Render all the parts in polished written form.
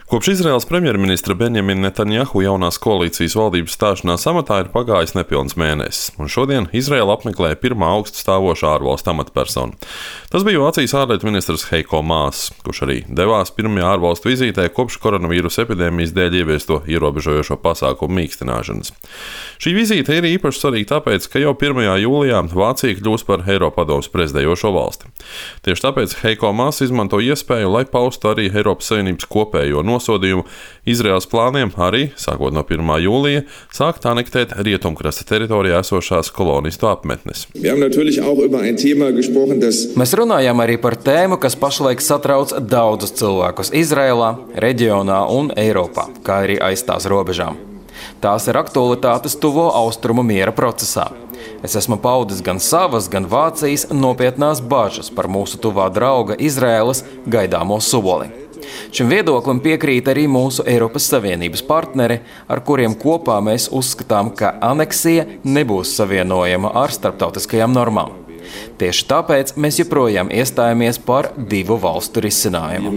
Kopš Izraēlas premjerministra Benjamina Netanjahu jaunās koalīcijas valdības stāšanās amatā ir pagājis nepilns mēnesis, un šodien Izraēla apmeklēja pirmā augstu stāvošā ārvalstu amatpersona. Tas bija Vācijas ārlietu ministrs Heiko Maas, kurš arī devās pirmajā ārvalstu vizītē kopš koronavīrusa epidēmijas dēļ ieviesto ierobežojošo pasākumu mīkstināšanas. Šī vizīte ir īpaši svarīga tāpēc, ka jau 1. jūlijā Vācija kļūs par Eiropadomes prezidējošo valsti. Tieši tāpēc Heiko Maas izmanto iespēju, lai paustu arī Eiropas Savienības kopējo nosodījumu Izraēlas plāniem arī, sākot no 1. jūlija, sākt anektēt rietumkrasta teritorijā esošās kolonistu apmetnes. Mēs runājām arī par tēmu, kas pašlaik satrauc daudzus cilvēkus Izraēlā, reģionā un Eiropā, kā arī aiz tās robežām. Tās ir aktualitātes tuvo austrumu miera procesā. Es esmu paudis gan savas, gan Vācijas nopietnās bažas par mūsu tuvā drauga Izraēlas gaidāmo soli. Šim viedoklim piekrīt arī mūsu Eiropas Savienības partneri, ar kuriem kopā mēs uzskatām, ka aneksija nebūs savienojama ar starptautiskajām normām. Tieši tāpēc mēs joprojām iestājamies par 2 valstu risinājumu.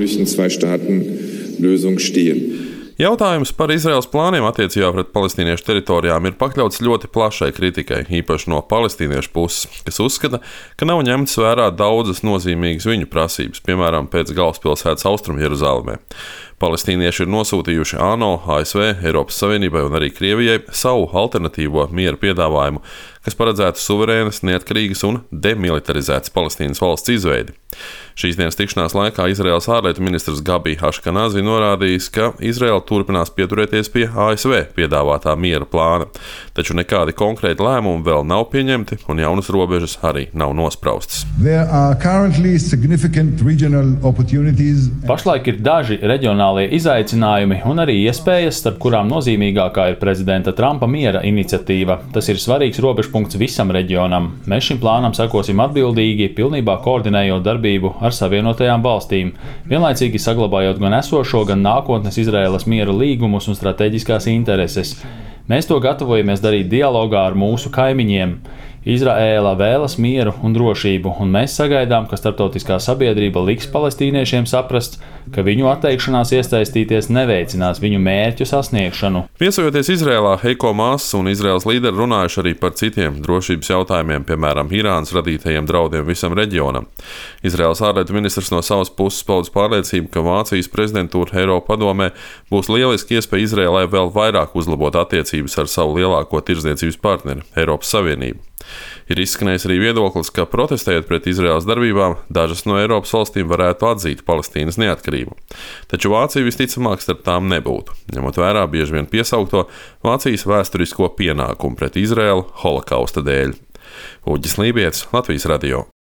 Jautājums par Izraēlas plāniem attiecībā pret palestīniešu teritorijām ir pakļauts ļoti plašai kritikai, īpaši no palestīniešu puses, kas uzskata, ka nav ņemtas vērā daudzas nozīmīgas viņu prasības, piemēram, pēc galvaspilsētas Austrumjeruzalemē. Palestīnieši ir nosūtījuši ANO, ASV, Eiropas Savienībai un arī Krievijai savu alternatīvo miera piedāvājumu, kas paredzētu suverēnas, neatkarīgas un demilitarizētas Palestīnas valsts izveidi. Šīs dienas tikšanās laikā Izraēlas ārlietu ministrs Gabi Aškenazi norādījis, ka Izraēla turpinās pieturēties pie ASV piedāvātā miera plāna, taču nekādi konkrēti lēmumi vēl nav pieņemti un jaunas robežas arī nav nospraustas. Pašlaik ir daži reģionālie izaicinājumi un arī iespējas, starp kurām nozīmīgākā ir prezidenta Trumpa miera iniciatīva. Tas ir svarīgs robežpunkts visam reģionam. Mēs šim plānam sekosim atbildīgi, pilnībā koordinējot darbību ar Savienotajām valstīm, vienlaicīgi saglabājot gan esošo, gan nākotnes Izraēlas miera līgumus un strateģiskās intereses. Mēs to gatavojamies darīt dialogā ar mūsu kaimiņiem. Izraēla vēlas mieru un drošību, un mēs sagaidām, ka starptautiskā sabiedrība liks palestīniešiem saprast, ka viņu atteikšanās iesaistīties neveicinās viņu mērķu sasniegšanu. Viesojoties Izraēlā, Heiko Maas un Izraēlas līderi runājuši arī par citiem drošības jautājumiem, piemēram, Irānas radītajiem draudiem visam reģionam. Izraēlas ārlietu ministrs no savas puses paudis pārliecību, ka Vācijas prezidentūra Eiropadomē būs lieliski iespēja Izraēlai vēl vairāk uzlabot attiecības ar savu lielāko tirdzniecības partneri, Eiropas Savienību. Ir izskanējis arī viedoklis, ka protestējot pret Izraēlas darbībām, dažas no Eiropas valstīm varētu atzīt Palestīnas neatkarību. Taču Vācija visticamāk starp tām nebūtu, ņemot vērā bieži vien piesaukto Vācijas vēsturisko pienākumu pret Izraēlu holokausta dēļ. Uģis Lībijets, Latvijas radio.